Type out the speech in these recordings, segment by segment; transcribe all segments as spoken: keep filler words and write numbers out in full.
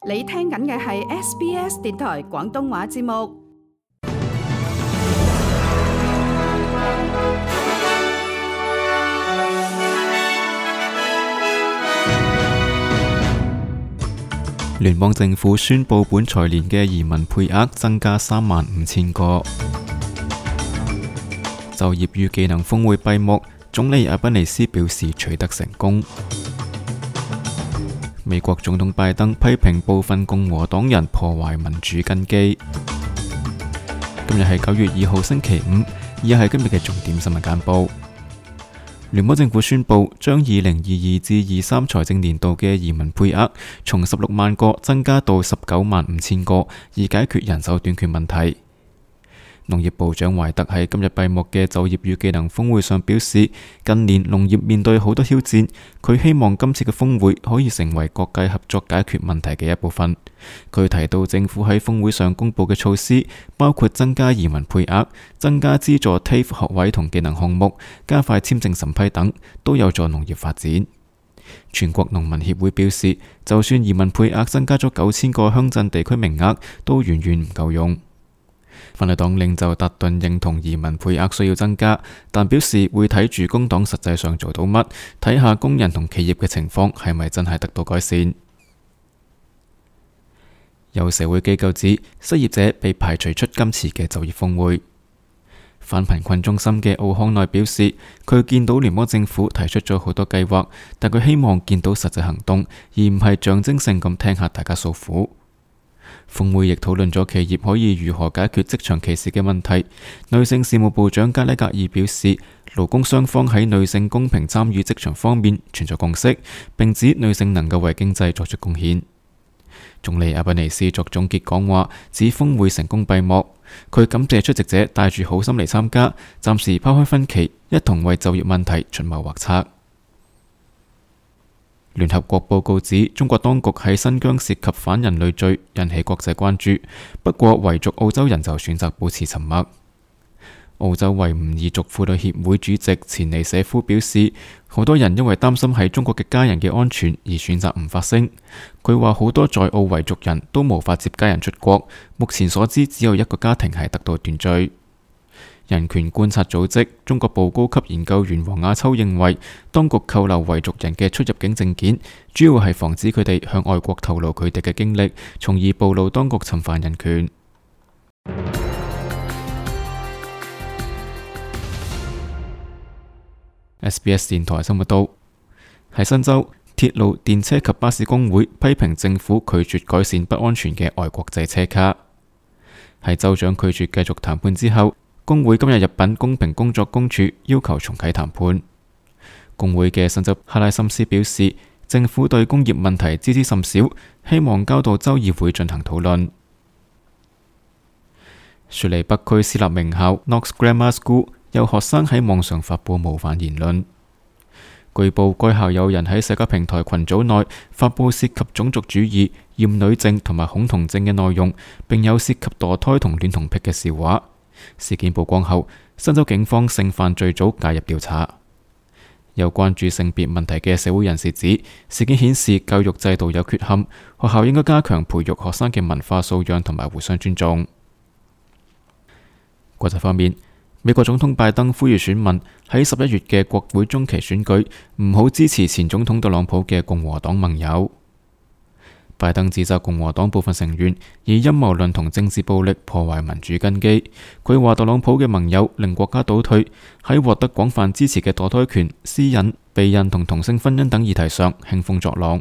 你聽緊嘅係 S B S 電台廣東話節目。聯邦政府宣布本財年嘅移民配額增加三萬五千個。就業與技能峰會閉幕，總理阿賓尼斯表示取得成功。美國總統拜登批評部分共和黨人破壞民主根基。今日係九月二號星期五，以下係今日嘅重點新聞簡報。聯邦政府宣布將二零二二至二三財政年度嘅移民配額從十六萬個增加到十九萬五千個，以解決人手短缺問題。農業部長懷特喺今日閉幕嘅就業與技能峰會上表示，近年農業面對好多挑戰，佢希望今次嘅峰會可以成為各界合作解決問題嘅一部分。佢提到政府喺峰會上公布嘅措施，包括增加移民配額、增加資助 T A F E 學位同技能項目、加快簽證審批等，都有助農業發展。全國農民協會表示，就算移民配額增加咗九千個鄉鎮地區名額，都遠遠唔夠用。反對黨領袖達頓認同移民配額需要增加，但表示會睇住工黨實際上做到乜，睇下工人同企業嘅情況係咪真係得到改善。有社會機構指，失業者被排除出今次嘅就業峰會。反貧困中心嘅奧康內表示，佢見到聯邦政府提出咗好多計劃，但佢希望見到實際行動，而唔係象徵性咁聽下大家訴苦。峰會亦討論咗企業可以如何解決職場歧視嘅問題。女性事務部長加拉格爾表示，勞工雙方喺女性公平參與職場方面存在共識，並指女性能夠為經濟作出貢獻。總理阿賓尼斯作總結講話，指峰會成功閉幕。佢感謝出席者帶住好心嚟參加，暫時拋開分歧，一同為就業問題出謀劃策。聯合國報告指，中國當局喺新疆涉及反人類罪，引起國際關注。不過，維族澳洲人就選擇保持沉默。澳洲維吾爾族婦女協會主席錢尼舍夫表示，好多人因為擔心喺中國嘅家人嘅安全而選擇唔發聲。佢話好多在澳維族人都無法接家人出國，目前所知只有一個家庭係得到斷罪。人權觀察組織中國部高級研究員黃亞秋認為，當局扣留維族人嘅出入境證件，主要係防止佢哋向外國透露佢哋嘅經歷，從而暴露當局侵犯人權。S B S 電台新聞道，喺新州，鐵路、電車及巴士工會批評政府拒絕改善不安全嘅外國製車卡。喺州長拒絕繼續談判之後，工會今日入禀公平工作公署，要求重啟談判。工會嘅新州哈拉森斯表示，政府對工業問題知之甚少，希望交到州議會進行討論。雪梨北區私立名校 Knox Grammar School 有學生喺網上發佈冒犯言論。據報該校有人喺社交平台群組內發佈涉及種族主義、厭女症同埋恐同症嘅內容，並有涉及墮胎同戀童癖嘅笑話。事件曝光後，新州警方性犯罪組介入調查。有關注性別問題嘅社會人士指，事件顯示教育制度有缺陷，學校應該加強培育學生嘅文化素養同埋互相尊重。國際方面，美國總統拜登呼籲選民喺十一月嘅國會中期選舉唔好支持前總統特朗普嘅共和黨盟友。拜登指責共和黨部分成員以陰謀論同政治暴力破壞民主根基。佢話特朗普嘅盟友令國家倒退，喺獲得廣泛支持嘅墮胎權、私隱、避孕同同性婚姻等議題上興風作浪。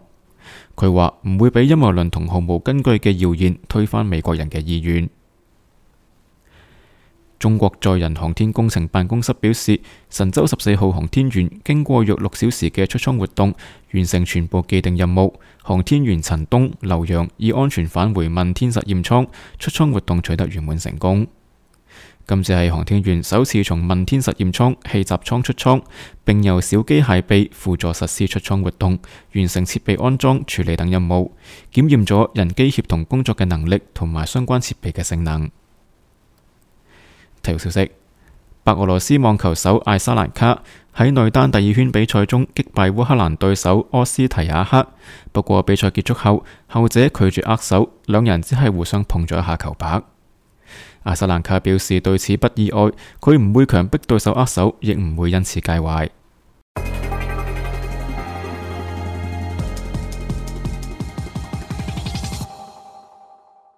佢話唔會俾陰謀論同毫無根據嘅謠言推翻美國人嘅意願。中國載人航天工程辦公室表示，神舟十四號航天員經過約六小時嘅出艙活動，完成全部既定任務。航天員陳冬、劉洋已安全返回問天實驗艙，出艙活動取得圓滿成功。今次係航天員首次從問天實驗艙氣閘艙出艙，並由小機械臂輔助實施出艙活動，完成設備安裝、處理等任務，檢驗咗人機協同工作嘅能力同埋相關設備嘅性能。體育消息。白俄羅斯網球手艾莎蘭卡喺女單第二圈比賽中擊敗烏克蘭對手柯斯提亞克，不過比賽結束後，後者拒絕握手，兩人只係互相碰咗一下球拍。艾莎蘭卡表示對此不意外，佢唔會強迫對手握手，亦唔會因此介懷。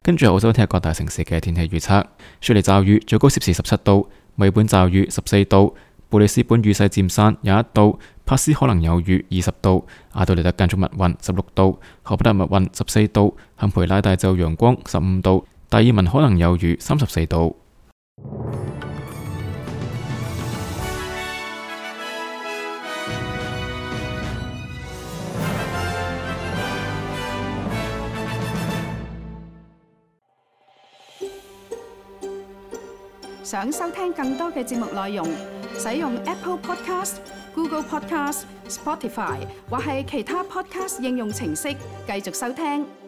跟住澳洲聽日各大城市嘅天氣預測：雪梨驟雨，最高攝氏十七度；墨爾本驟雨十四度；布里斯本雨勢漸散廿一度；帕斯可能有雨二十度；阿德萊德間中密雲十六度；荷伯特密雲十四度；坎培拉大驟陽光十五度；達爾文可能有雨三十四度。想收聽更多嘅節目內容，使用 Apple Podcast、Google Podcast、Spotify 或係其他 Podcast 應用程式繼續收聽。